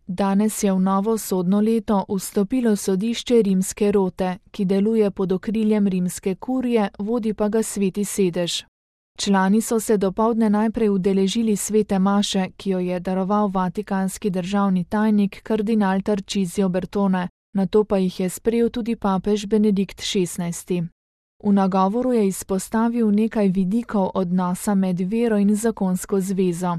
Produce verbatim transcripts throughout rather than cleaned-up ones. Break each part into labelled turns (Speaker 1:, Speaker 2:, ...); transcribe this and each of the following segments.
Speaker 1: Danes je v novo sodno leto vstopilo sodišče Rimske rote, ki deluje pod okriljem rimske kurije, vodi pa ga sveti sedež. Člani so se dopoldne najprej udeležili svete maše, ki jo je daroval vatikanski državni tajnik kardinal Tarcisio Bertone, nato pa jih je sprejel tudi papež Benedikt šestnajsti. V nagovoru je izpostavil nekaj vidikov odnosa med vero in zakonsko zvezo.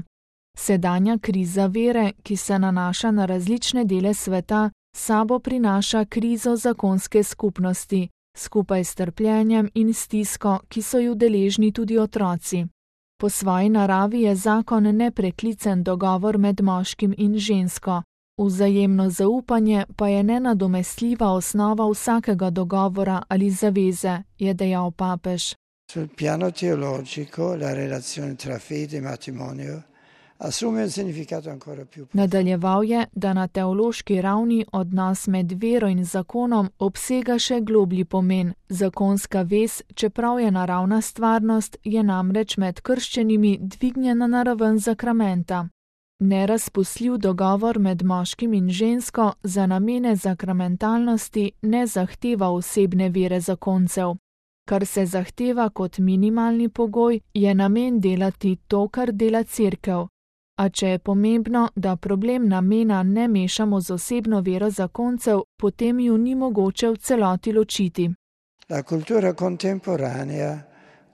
Speaker 1: Sedanja kriza vere, ki se nanaša na različne dele sveta, sabo prinaša krizo zakonske skupnosti, skupaj s trpljenjem in stisko, ki so ju deležni tudi otroci. Po svoji naravi je zakon nepreklicen dogovor med moškim in žensko. Vzajemno zaupanje pa je nenadomestljiva osnova vsakega dogovora ali zaveze, je dejal papež.
Speaker 2: Sul piano teologico, la relazione tra fede e matrimonio assume un significato ancora più profondo.
Speaker 1: Nadaljeval je, da na teološki ravni odnos med vero in zakonom obsega še globlji pomen. Zakonska vez, čeprav je naravna stvarnost, je namreč med krščenimi dvignjena na raven zakramenta. Nerazpustljiv dogovor med moškim in žensko za namene zakramentalnosti ne zahteva osebne vere zakoncev. Kar se zahteva kot minimalni pogoj, je namen delati to, kar dela cerkev. A če je pomembno, da problem namena ne mešamo z osebno vero zakoncev, potem ju ni mogoče v celoti ločiti.
Speaker 2: La cultura contemporanea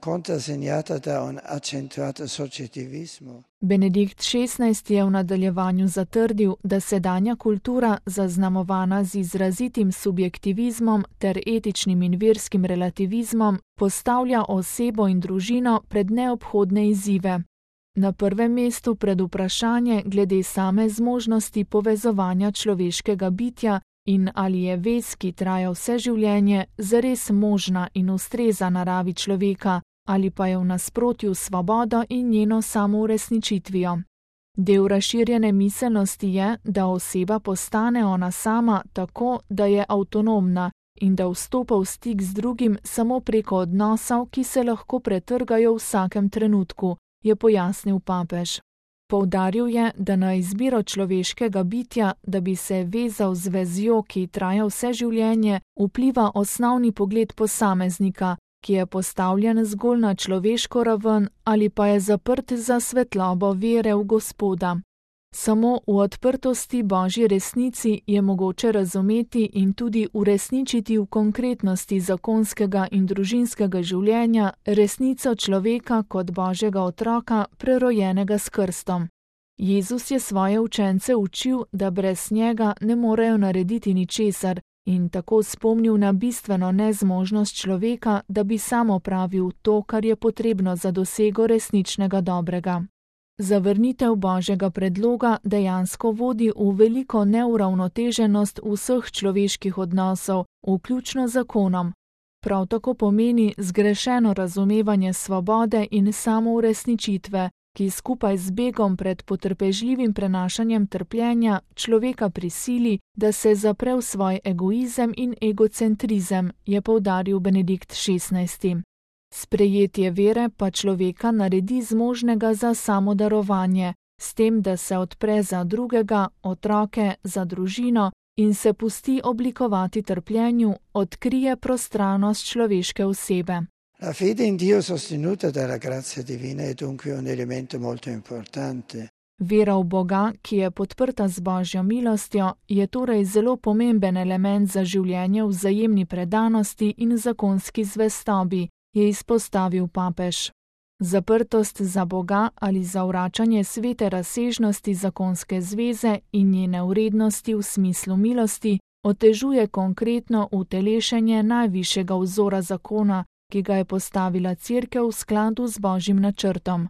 Speaker 2: conta segnata da un accentuato soggettivismo.
Speaker 1: Benedikt šestnajsti je v nadaljevanju zatrdil, da sedanja kultura, zaznamovana z izrazitim subjektivizmom ter etičnim in verskim relativizmom, postavlja osebo in družino pred neobhodne izzive. Na prvem mestu pred vprašanje glede same zmožnosti povezovanja človeškega bitja in ali je vez, ki traja vse življenje, zares možna in ustreza naravi človeka, ali pa je v nasprotju s svobodo in njeno samouresničitvijo. Del razširjene miselnosti je, da oseba postane ona sama tako, da je avtonomna in da vstopa v stik z drugim samo preko odnosov, ki se lahko pretrgajo v vsakem trenutku, je pojasnil papež. Poudaril je, da na izbiro človeškega bitja, da bi se vezal z vezjo, ki traja vse življenje, vpliva osnovni pogled posameznika, ki je postavljen zgolj na človeško raven ali pa je zaprt za svetlobo vere v Gospoda. Samo v odprtosti Božji resnici je mogoče razumeti in tudi uresničiti v konkretnosti zakonskega in družinskega življenja resnico človeka kot Božjega otroka, prerojenega s krstom. Jezus je svoje učence učil, da brez njega ne morejo narediti ničesar, in tako spomnil na bistveno nezmožnost človeka, da bi sam opravil to, kar je potrebno za dosego resničnega dobrega. Zavrnitev Božjega predloga dejansko vodi v veliko neuravnoteženost vseh človeških odnosov, vključno z zakonom. Prav tako pomeni zgrešeno razumevanje svobode in samouresničitve, ki skupaj z begom pred potrpežljivim prenašanjem trpljenja človeka prisili, da se zapre v svoj egoizem in egocentrizem, je poudaril Benedikt šestnajsti. Sprejetje vere pa človeka naredi zmožnega za samodarovanje, s tem, da se odpre za drugega, otroke, za družino in se pusti oblikovati trpljenju, odkrije prostranost človeške osebe.
Speaker 2: La fede in Dio sostenuta dalla grazia divina è dunque un elemento molto importante.
Speaker 1: Vera v Boga, ki je podprta z Božjo milostjo, je torej zelo pomemben element za življenje v vzajemni predanosti in zakonski zvestobi, je izpostavil papež. Zaprtost za Boga ali zavračanje svete razsežnosti zakonske zveze in njene vrednosti v smislu milosti otežuje konkretno utelešenje najvišjega vzora zakona, ki ga je postavila Cerkev v skladu z Božjim načrtom.